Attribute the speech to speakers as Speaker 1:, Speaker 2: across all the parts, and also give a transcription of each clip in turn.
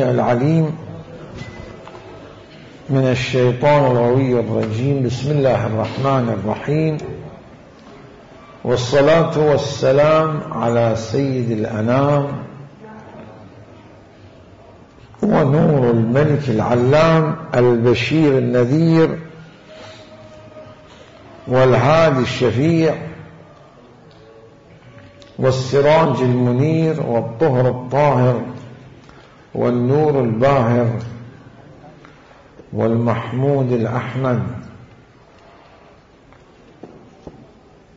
Speaker 1: العليم من الشيطان الغوي الرجيم. بسم الله الرحمن الرحيم، والصلاة والسلام على سيد الأنام ونور الملك العلام البشير النذير والهادي الشفيع والسراج المنير والطهر الطاهر والنور الباهر والمحمود الأحمد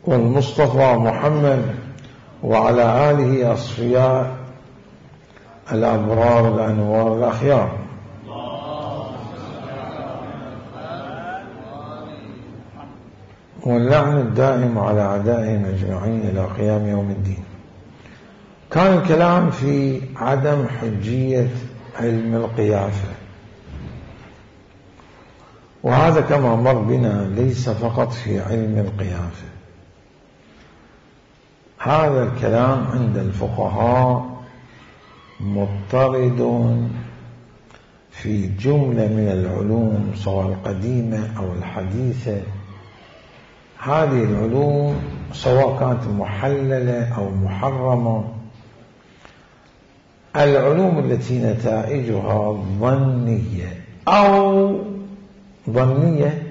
Speaker 1: والمصطفى محمد وعلى آله أصفياء الأبرار الأنوار الأخيار. واللعن الدائم على أعدائهم أجمعين إلى قيام يوم الدين. كان الكلام في عدم حجية علم القيافة، وهذا كما مر بنا ليس فقط في علم القيافة، هذا الكلام عند الفقهاء مضطرد في جملة من العلوم سواء القديمة أو الحديثة. هذه العلوم سواء كانت محللة أو محرمة، العلوم التي نتائجها ظنية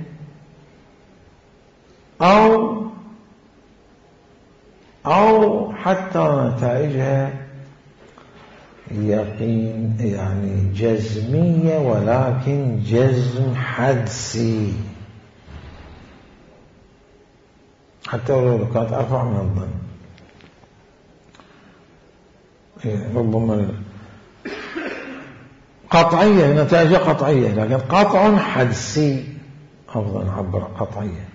Speaker 1: أو حتى نتائجها يقين يعني جزمية، ولكن جزم حدسي، حتى لو كانت أرفع من الظن. ربما قطعية، نتائجها قطعية، لكن قطع حدسي، أفضل نعبر قطعية،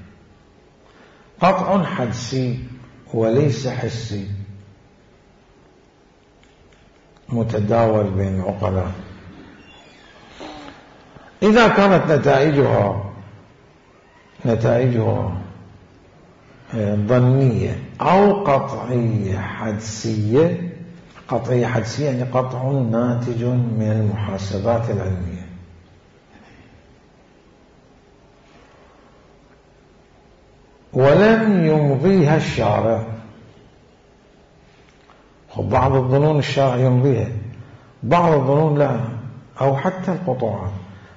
Speaker 1: قطع حدسي وليس حسي متداول بين العقلاء. إذا كانت نتائجها ظنية أو قطعية حدسية، قطعية حدسية يعني قطع ناتج من المحاسبات العلمية، ولم يمضيها الشارع. بعض الظنون الشارع يمضيها، بعض الظنون لا، أو حتى القطوعات.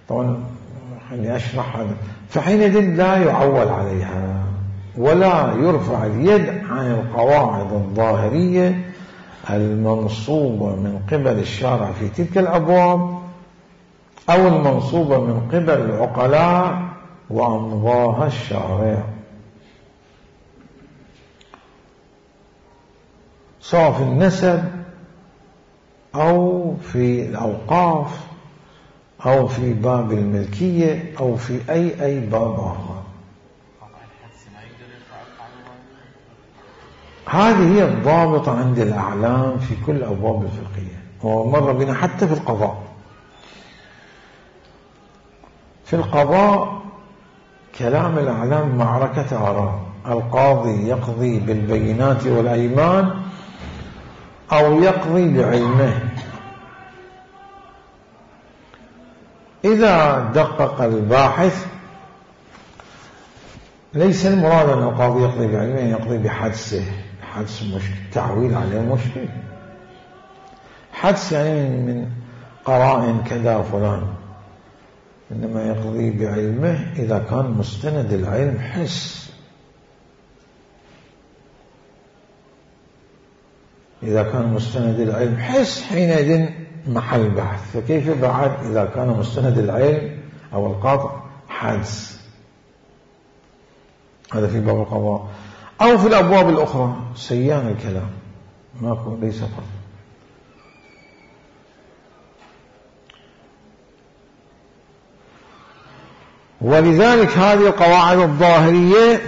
Speaker 1: طبعا خليني أشرح هذا. فحينئذ لا يعول عليها ولا يرفع اليد عن القواعد الظاهرية المنصوبة من قبل الشارع في تلك الأبواب، أو المنصوبة من قبل العقلاء وأمضاها الشارع، سواء في النسب أو في الأوقاف أو في باب الملكية أو في أي باب آخر. هذه هي الضابطة عند الأعلام في كل أبواب الفقهية، ومر بنا حتى في القضاء. في القضاء كلام الأعلام معركة آراء، القاضي يقضي بالبينات والأيمان أو يقضي بعلمه. إذا دقق الباحث ليس المراد أن القاضي يقضي بعلمه، يقضي بحدسه. حدس مشكل، تعويل عليه مشكل. حدس يعني من قرائن كذا فلان، إنما يقضي بعلمه إذا كان مستند العلم حس. إذا كان مستند العلم حس حينئذ محل بحث. فكيف بعد إذا كان مستند العلم أو القطع حدس؟ هذا في باب القضاء. أو في الأبواب الأخرى سيان الكلام، ماكو ليس فرق. ولذلك هذه القواعد الظاهرية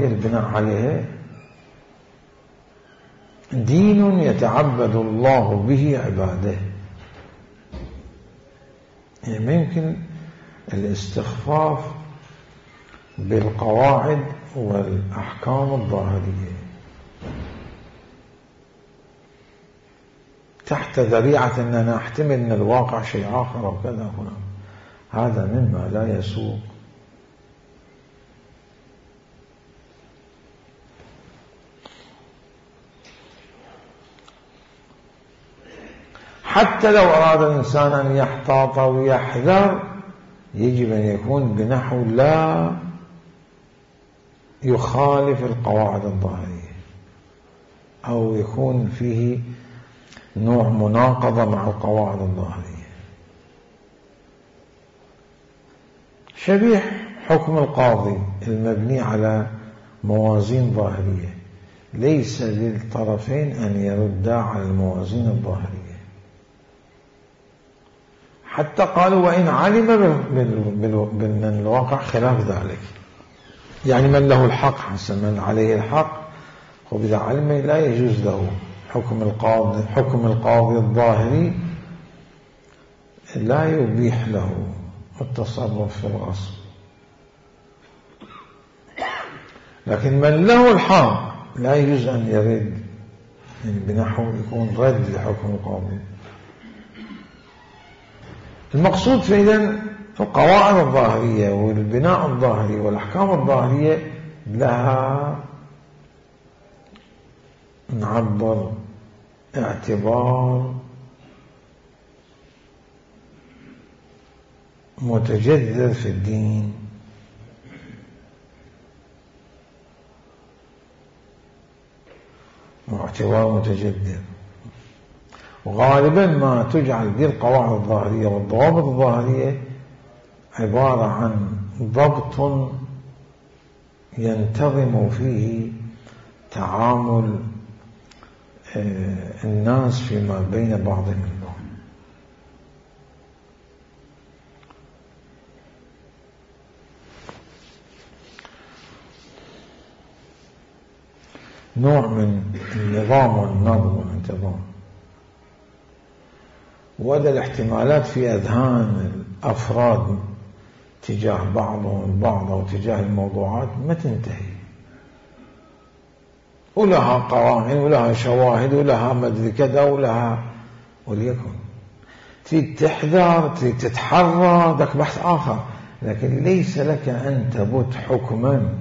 Speaker 1: البناء عليها دين يتعبد الله به عباده. يعني يمكن الاستخفاف بالقواعد والأحكام الظاهرية، تحت ذريعة أننا نحتمل أن الواقع شيء آخر أو كذا هنا، هذا مما لا يسوق. حتى لو أراد الإنسان أن يحتاط ويحذر يجب أن يكون بنحو لا يخالف القواعد الظاهرية أو يكون فيه نوع مناقضة مع القواعد الظاهرية. شبيه حكم القاضي المبني على موازين ظاهرية، ليس للطرفين أن يردا على الموازين الظاهرية، حتى قالوا وإن علم من الواقع خلاف ذلك، يعني من له الحق حسن من عليه الحق، وإذا علم لا يجوز له حكم القاضي الظاهري لا يبيح له التصرف في الغصب. لكن من له الحق لا يجوز أن يرد، يعني بنحو يكون رد لحكم القاضي. المقصود في إذن القواعد الظاهرية والبناء الظاهري والأحكام الظاهرية لها نعبر اعتبار متجذر في الدين، واعتبار متجذر. وغالبا ما تجعل دي القواعد الظاهرية والضوابط الظاهرية عبارة عن ضبط ينتظم فيه تعامل الناس فيما بين بعضهم البعض. نوع من النظام والنظم والانتظام. وهذا الاحتمالات في أذهان الأفراد تجاه بعضهم البعض أو تجاه الموضوعات ما تنتهي، ولها قوانين ولها شواهد ولها مدري كذا ولها، وليكن تريد تحذر تريد تتحرى ذاك بحث آخر، لكن ليس لك أن تبت حكما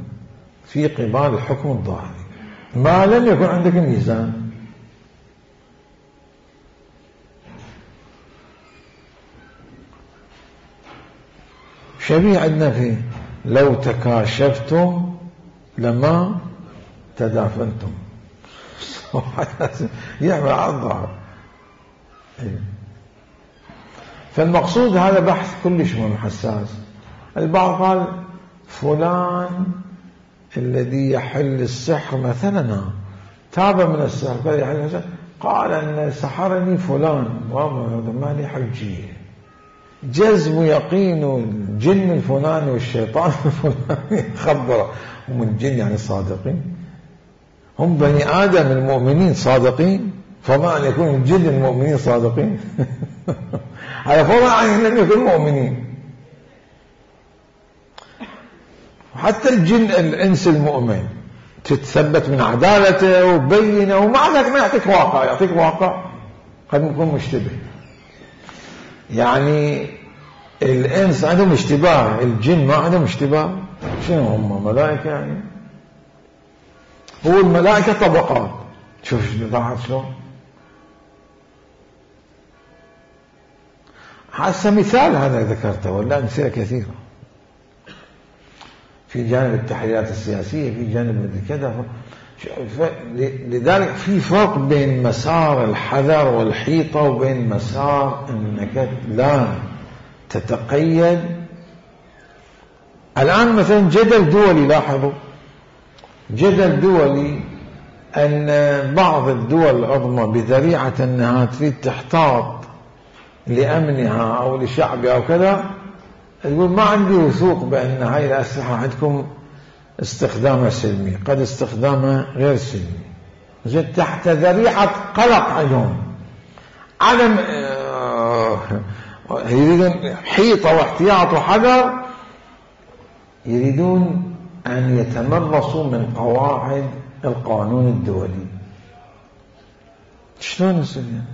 Speaker 1: في قبال الحكم الظاهري ما لم يكن عندك ميزان. شبيه عندنا في لو تكاشفتم لما تدافنتم يعمل على الظهر. فالمقصود هذا بحث كلش حساس. البعض قال فلان الذي يحل السحر مثلا تاب من السحر قال يحل السحر، قال أن سحرني فلان ما لي حجية، جزم يقين الجن الفلاني والشيطان الفلاني خبره. هم الجن يعني صادقين، هم بني آدم المؤمنين صادقين، فما أن يكون الجن المؤمنين صادقين على فرع عن لم يكن مؤمنين. حتى الجن الإنس المؤمن تتثبت من عدالته وبينه، ومع ذلك ما يعطيك واقع، يعطيك واقع قد يكون مشتبه. يعني الإنس عندهم اشتباه، الجن ما عندهم اشتباه. شنو هم ملائكة يعني؟ هو الملائكة طبقات. شوف لاحظ شلون. هسه مثال هذا ذكرته ولا أمثلة كثيرة في جانب التحليلات السياسية، في جانب كذا. لذلك في فرق بين مسار الحذر والحيطة وبين مسار أنك لا تتقيد. الآن مثلا جدل دولي، لاحظوا جدل دولي أن بعض الدول العظمى بذريعة أنها تريد تحتاط لأمنها أو لشعبها أو كذا، يقول ما عندي وثوق بأن هاي الأسلحة عندكم استخدامها سلمي، قد استخدامها غير سلمي، زين تحت ذريعة قلق عندهم عدم يريدون حيطة واحتياط وحذر، يريدون أن يتمرسوا من قواعد القانون الدولي. شلون يصير يعني؟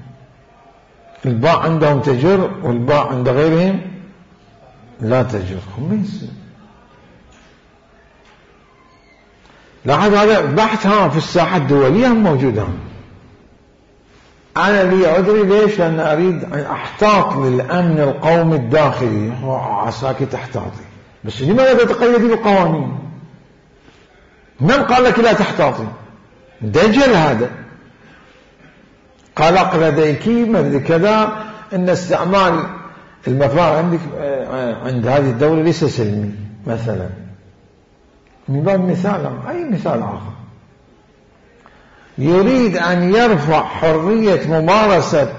Speaker 1: الباء عندهم تجر والباء عند غيرهم لا تجر، هم يصير. لاحظ هذا بحث في الساحة الدولية هم موجودة. أنا لي عذري ليش؟ لأن أريد أحتاط للأمن القومي الداخلي، عساكر احتاطي. بس لماذا تتقيدي بالقوانين؟ من قال لك لا تحتاطي؟ دجل هذا. قلق لديك مثل كذا أن استعمال المفاعل عندك عند هذه الدولة ليس سلمي مثلا، من باب مثال أي مثال آخر. يريد أن يرفع حرية ممارسة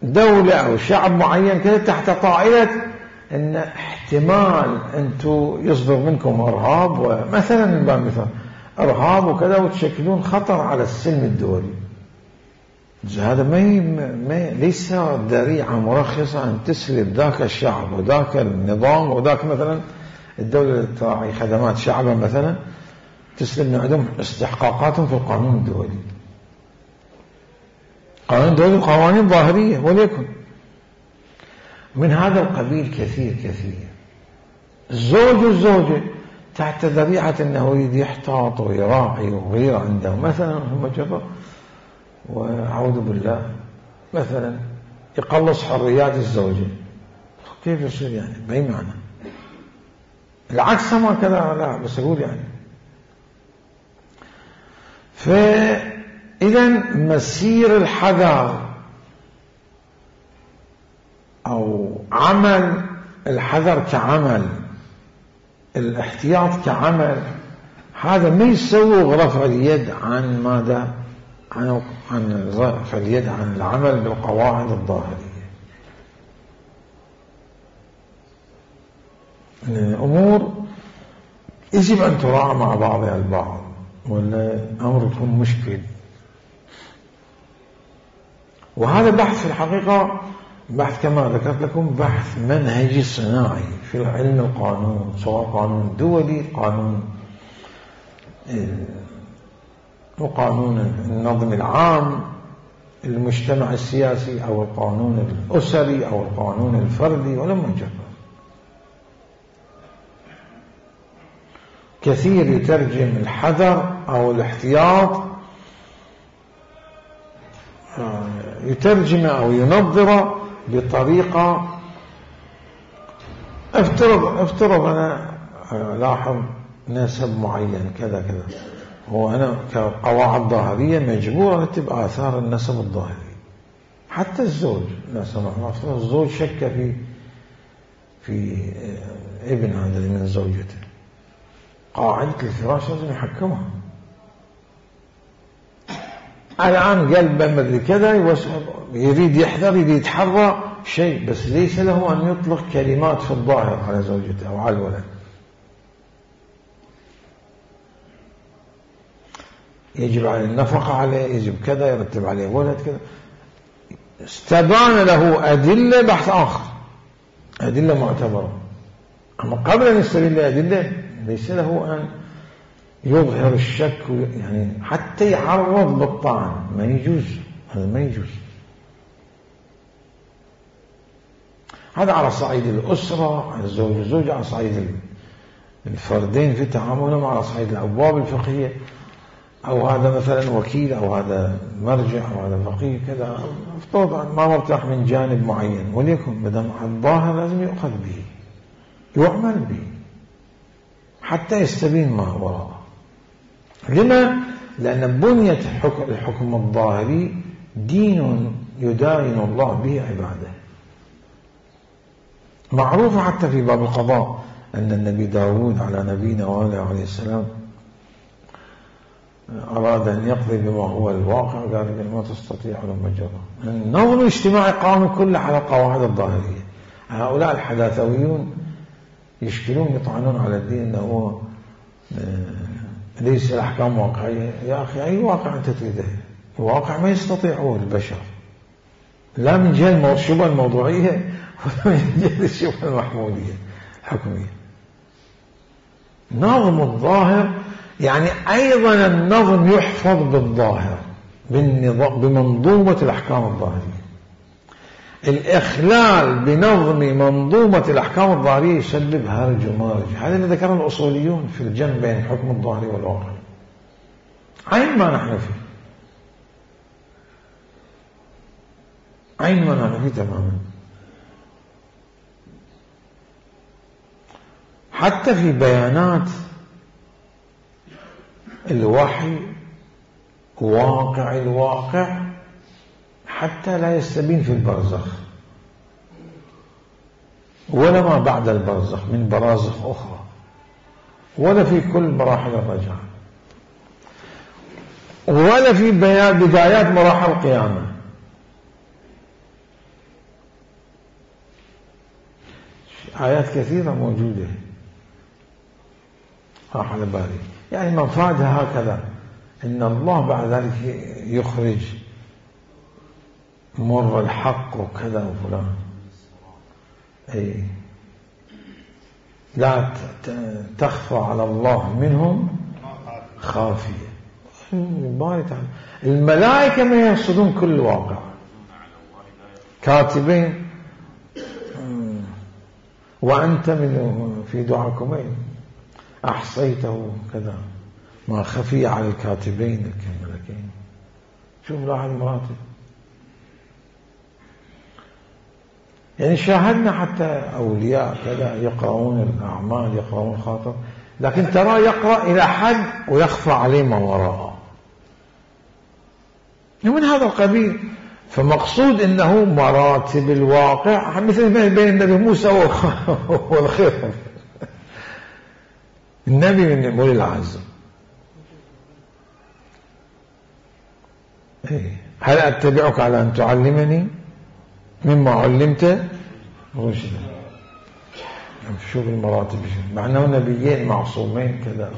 Speaker 1: دولة أو شعب معين كذا تحت طائلة أن احتمال أنتم يصدر منكم إرهاب، ومثلا من باب مثال إرهاب وكذا، وتشكلون خطر على السلم الدولي. هذا ما ليس ذريعة مرخصة أن تسلب ذاك الشعب وذاك النظام وذاك مثلا الدولة تراعي خدمات شعبا مثلا، تسلب من عندهم استحقاقاتهم في القانون الدولي. قانون الدولي قوانين ظاهرية وليكن. من هذا القبيل كثير كثير. الزوج والزوجة تحت ذريعة أنه يريد يحتاط ويراعي وغير عنده مثلا هم جرى، وأعوذ بالله مثلا يقلص حريات الزوجة. كيف يصير يعني؟ بأي معنى؟ العكس ما كذا، لا بس أقول يعني. فإذا مسير الحذر أو عمل الحذر كعمل، الاحتياط كعمل، هذا ما يسوغ رفع اليد عن ماذا؟ عن رفع اليد عن العمل بالقواعد الظاهرية. الأمور يجب أن تراعى مع بعضها البعض، ولا أمر يكون مشكل. وهذا بحث في الحقيقة بحث كما ذكرت لكم بحث منهجي صناعي في علم القانون، سواء قانون دولي، وقانون النظم العام المجتمع السياسي، أو القانون الأسري، أو القانون الفردي، ولم يجرب. كثير يترجم الحذر أو الاحتياط، يترجم أو ينظر بطريقة افترض أنا لاحظ نسب معين كذا كذا، هو أنا كقواعد ظاهرية مجبور أكتب آثار النسب الظاهري. حتى الزوج لا سمح الله، الزوج شك في ابن هذا من زوجته، قاعدة الفراش لازم يحكمها. الآن قلبه مثل كذا يريد يحذر، يريد يتحرى شيء، بس ليس له أن يطلق كلمات في الظاهر على زوجته أو على الولد. يجب عليه النفقة عليه، يجب كذا، يرتب عليه ولد كذا. استبان له أدلة بحث آخر، أدلة معتبرة. أما قبل أن يستدل أدلة ليس له أن يظهر الشك، يعني حتى يعرض بالطعن ما يجوز، هذا ما يجوز. هذا على صعيد الأسرة، على الزوج والزوجة، على صعيد الفردين في تعاملهم، على صعيد الأبواب الفقهية، أو هذا مثلا وكيل، أو هذا مرجع، أو هذا فقيه كذا، افترض ما مرتاح من جانب معين، وليكن بدم الظاهر لازم يؤخذ به، يعمل به حتى يستبين ما وراءه. لما؟ لأن بنية الحكم الظاهري دين يداين الله به عباده. معروف حتى في باب القضاء أن النبي داود على نبينا وآله عليه السلام أراد أن يقضي بما هو الواقع، قال ما تستطيع لما جرى. النظم الاجتماعي قام كله على القواعد الظاهرية. هؤلاء الحداثويون يشكلون، يطعنون على الدين أنه ليس الأحكام واقعية. يا أخي أي واقع أنت تريده؟ الواقع ما يستطيعه البشر، لا من جهة الشبهة الموضوعية ولا من جهة الشبهة المحمودية الحكمية. نظم الظاهر يعني أيضا النظم يحفظ بالظاهر، بمنظومة الأحكام الظاهرية. الإخلال بنظم منظومة الأحكام الظاهرية يسبب هرج ومرج. هذا اللي ذكره الأصوليون في الجمع بين الحكم الظاهري والواقع، عين ما نحن فيه، عين ما نحن فيه تماما. حتى في بيانات الوحي واقع الواقع حتى لا يستبين في البرزخ ولا ما بعد البرزخ من برازخ أخرى، ولا في كل مراحل الرجعة، ولا في بدايات مراحل القيامة. آيات كثيرة موجودة راح على بالي، يعني مفادها هكذا إن الله بعد ذلك يخرج مر الحق وكذا وفلان. أي لا تخفى على الله منهم خافية. الملائكة ما يرصدون كل واقع، كاتبين وأنت من في دعاكمين أحصيته كذا ما خفي على الكاتبين الملكين. شوف لاحظ المراتب. يعني شاهدنا حتى أولياء كذا يقرؤون الأعمال يقرؤون خاطر، لكن ترى يقرأ إلى حد ويخفى عليه ما وراءه من هذا القبيل. فمقصود إنه مراتب الواقع مثل ما بين النبي موسى والخضر. النبي من أولي العزم. هل أتبعك على أن تعلمني مما علمت رشدا؟ شوف المراتب، مع أنه نبيين معصومين كذا.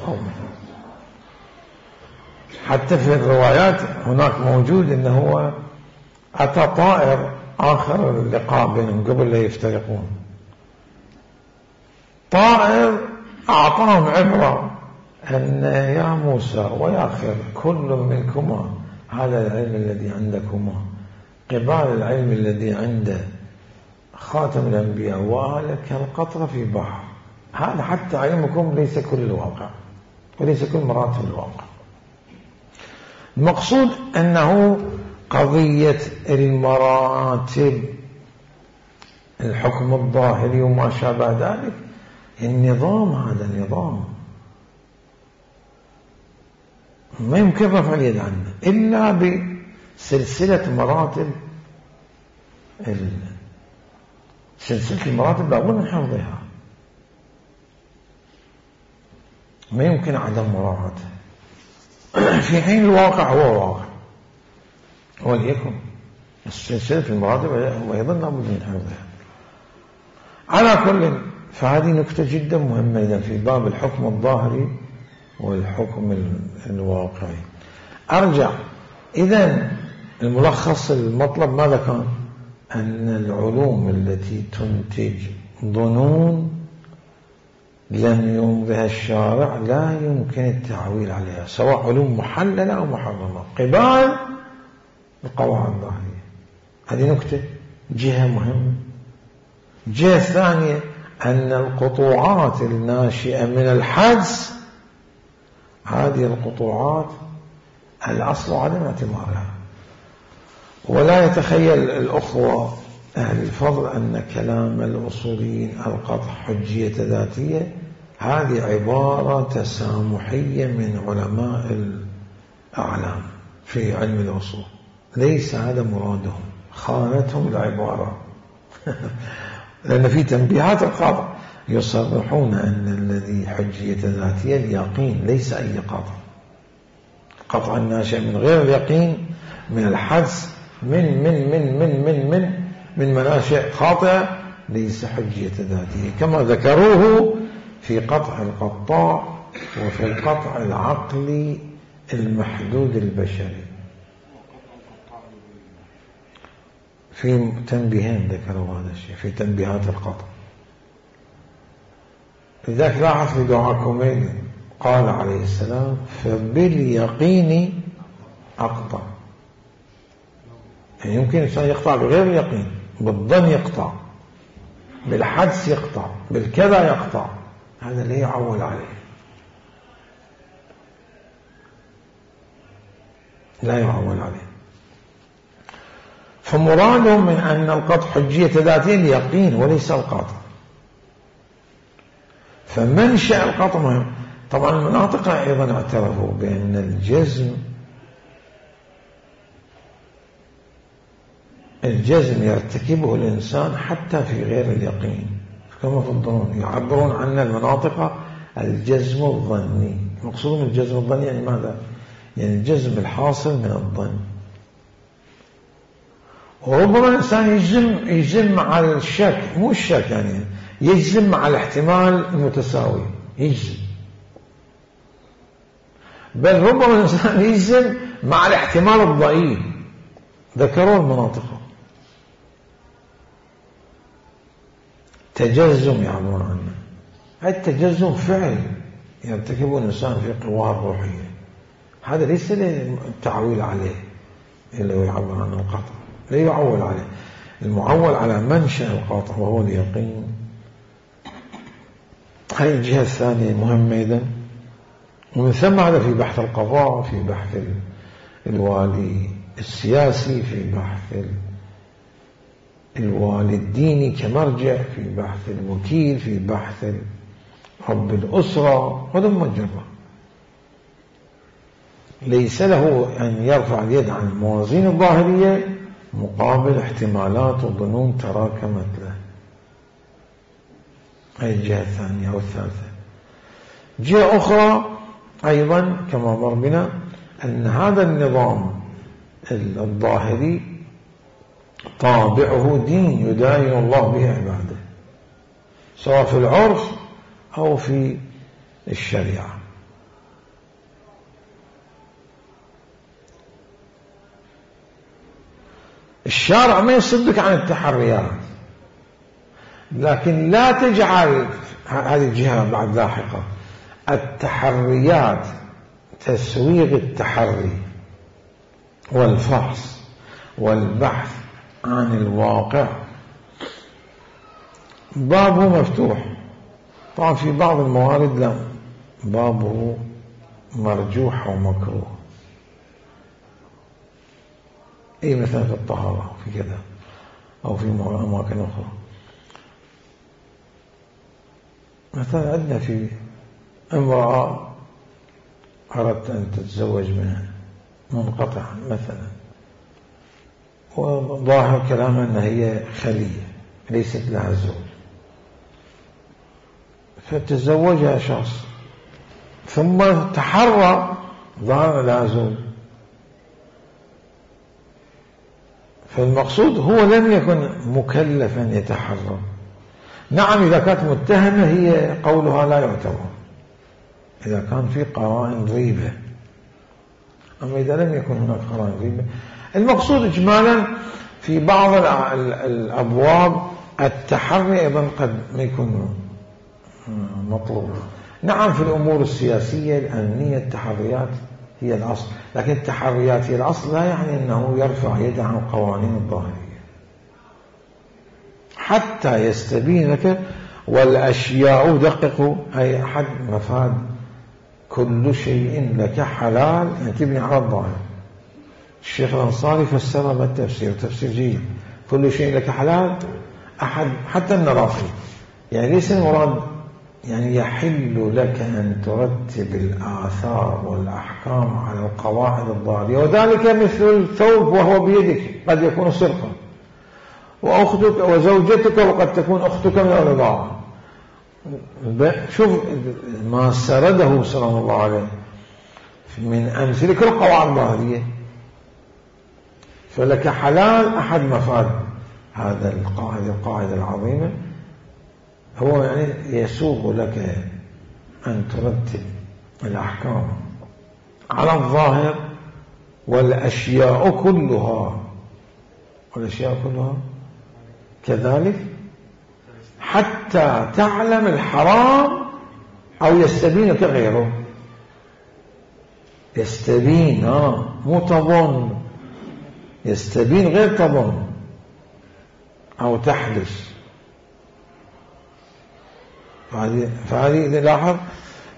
Speaker 1: حتى في الروايات هناك موجود أنه هو أتى طائر آخر اللقاء بينهم قبل لا يفترقون، طائر أعطاهم عبرة أن يا موسى ويا خضر كل منكما هذا العلم الذي عندكما قبال العلم الذي عند خاتم الأنبياء وهذا كالقطرة في بحر. هذا حتى علمكم ليس كل الواقع وليس كل مراتب الواقع. المقصود أنه قضية المراتب الحكم الظاهري وما شابه ذلك النظام، هذا النظام ما يمكن رفع اليد عنه إلا بسلسلة مراتب. سلسلة المراتب لابد من حفظها، ما يمكن عدم مراعاتها في حين الواقع هو واقع وليكن سلسلة المراتب أيضا لابد من حفظها. على كل، فهذه نكتة جدا مهمة إذا في باب الحكم الظاهري والحكم الواقعي. أرجع إذن الملخص المطلب ماذا كان؟ أن العلوم التي تنتج ظنون لم يمضها الشارع لا يمكن التعويل عليها، سواء علوم محللة أو محرمة قبال القواعد الظاهرية. هذه نكتة جهة مهمة. جهة ثانية أن القطوعات الناشئة من الحدس هذه القطوعات الأصل عدم اعتبارها. ولا يتخيل الأخوة أهل الفضل أن كلام الأصوليين القطع حجية ذاتية هذه عبارة تسامحية من علماء الأعلام في علم الأصول، ليس هذا مرادهم، خانتهم العبارة لأن في تنبيهات القطع يصرحون أن الذي حجية ذاتية اليقين ليس أي قطع. قطع الناشئ من غير اليقين من الحدس من مناشئ خاطئة ليس حجية ذاتية، كما ذكروه في قطع القطاع وفي القطع العقلي المحدود البشري. في تنبيهين ذكروا هذا الشيء في تنبيهات القطع. لذلك لاحظ في دعاكمين قال عليه السلام فباليقين أقطع. يعني يمكن الإنسان يقطع بغير اليقين بالظن يقطع، بالحدس يقطع، بالكذا يقطع، هذا اللي يعول عليه، لا يعول عليه. فمرادهم من أن القطع حجية ذاتية اليقين وليس القطع. فمنشأ القطع مهم. طبعا المناطق أيضا اعترفوا بأن الجزم يرتكبه الإنسان حتى في غير اليقين، كما في الظنون يعبرون عن المناطق الجزم الظني. مقصود من الجزم الظني يعني ماذا؟ يعني الجزم الحاصل من الظن. وربما الإنسان يجزم مع الشك، مو الشك يعني يجزم مع الاحتمال المتساوي، يجزم. بل ربما الإنسان يجزم مع الاحتمال الضئيل، ذكروا المناطق. تجزم يعبرون عنه، التجزم فعل يرتكبه الإنسان في قواه الروحية، هذا ليس التعويل عليه إلا يعبر عن القطع، لا يعول عليه. المعول على منشأ القاطع وهو اليقين. هذه الجهة الثانية مهمة إذن. ومن ثم هذا في بحث القضاء، في بحث الوالي السياسي، في بحث الوالي الديني كمرجع، في بحث الوكيل، في بحث رب الأسرة، هذا مجرد ليس له أن يرفع اليد عن الموازين الظاهرية مقابل احتمالات وظنون تراكمت له. هذه الجهة الثانية أو الثالثة. جهة أخرى أيضا كما مر بنا أن هذا النظام الظاهري طابعه دين يداين الله به عباده، سواء في العرف أو في الشريعة. الشارع ما يصدك عن التحريات، لكن لا تجعل هذه الجهة بعد لاحقة التحريات تسويغ التحري والفحص والبحث عن الواقع. بابه مفتوح طبعا، في بعض الموارد لا، بابه مرجوح ومكروه، أي مثلا في الطهارة أو في كذا أو في أماكن أخرى. مثلا عندنا في امرأة أردت أن تتزوج منها منقطعا مثلا، وظاهر كلامها أنها هي خلية ليست لها زوج، فتزوجها شخص ثم تحرى ظاهر لها زوج. فالمقصود هو لم يكن مكلفا يتحرى. نعم إذا كانت متهمة هي قولها لا يعتبر إذا كان في قرائن ريبة، أما إذا لم يكن هناك قرائن ريبة. المقصود إجمالا في بعض الأبواب التحري أيضا قد ما يكون مطلوب. نعم في الأمور السياسية الأمنية التحريات هي الأصل، لكن التحريات هي الأصل لا يعني أنه يرفع يده عن القوانين الظاهرية حتى يستبين لك. والأشياء دققوا أي أحد مفاد كل شيء لك حلال أن تبني على الظاهر. الشيخ الأنصاري فسرها بالتفسير تفسير جيد. كل شيء لك حلال أحد حتى النرافي، يعني ليس المراد يعني يحل لك أن ترتب الآثار والأحكام على القواعد الظاهرية، وذلك مثل الثوب وهو بيدك قد يكون سرقا، وأختك وزوجتك وقد تكون أختك من الرضاعة. شوف ما سرده صلى الله عليه من أمثلة كل القواعد الظاهرية. فلك حلال أحد مفاد هذا القاعدة العظيمة هو يعني يسوغ لك أن ترتب الأحكام على الظاهر، والأشياء كلها كذلك حتى تعلم الحرام أو يستبين كغيره. يستبين مو تظن، يستبين غير تظن. أو تحدث. فهذه إذا لاحظ،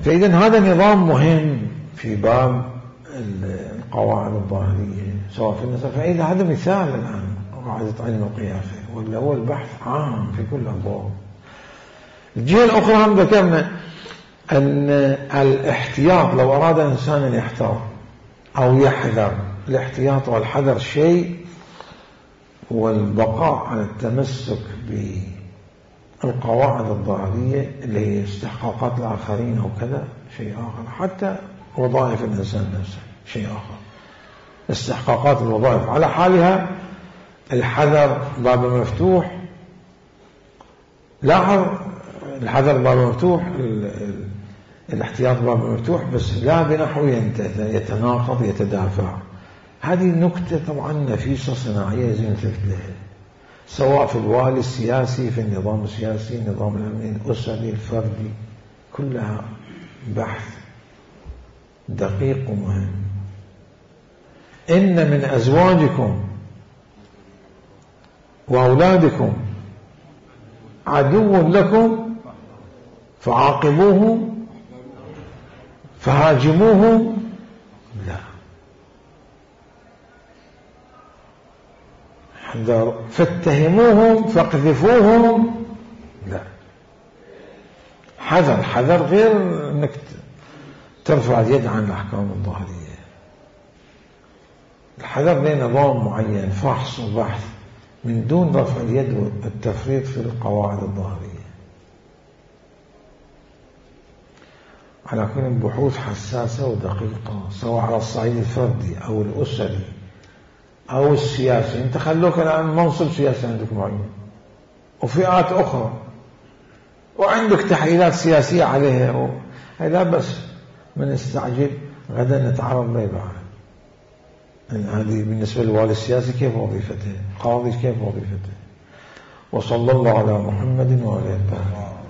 Speaker 1: فإذا هذا نظام مهم في باب القواعد الظاهرية سواء في النسب. فإذا هذا مثال الآن قاعدة علم القياسة، ولا هو البحث عام في كل الأبواب. الجهة الأخرى هم ذكرنا أن الاحتياط، لو أراد إنسان أن يحتاط أو يحذر، الاحتياط والحذر شيء، والبقاء على التمسك بالقواعد الظاهرية اللي هي استحقاقات الآخرين أو كذا شيء آخر. حتى وظائف الإنسان نفسه شيء آخر، استحقاقات الوظائف على حالها. الحذر باب مفتوح، لاحظ الحذر باب مفتوح، الاحتياط باب مفتوح، بس لا بنحو يتناقض يتدافع. هذه نكتة طبعا نفيسة صناعية لازم نلتفت لها، سواء في الوالي السياسي، في النظام السياسي، النظام الأمني، الأسري، الفردي، كلها بحث دقيق ومهم. إن من أزواجكم وأولادكم عدو لكم فعاقبوهم فهاجموهم، لا، فاتهموهم فاقذفوهم، لا. حذر غير انك ترفع اليد عن الأحكام الظاهرية. الحذر له نظام معين، فحص وبحث، من دون رفع اليد والتفريط في القواعد الظاهرية. على كل بحوث حساسة ودقيقة، سواء على الصعيد الفردي أو الأسري أو السياسي. انت خلوك الآن منصب سياسي عندك معين وفئات أخرى وعندك تحليلات سياسية عليها، لا بس من استعجل غدا نتعرض لها بعد. هذه بالنسبة للوالي السياسي كيف وظيفته، قاضي كيف وظيفته. وصلى الله على محمد وعلى آله.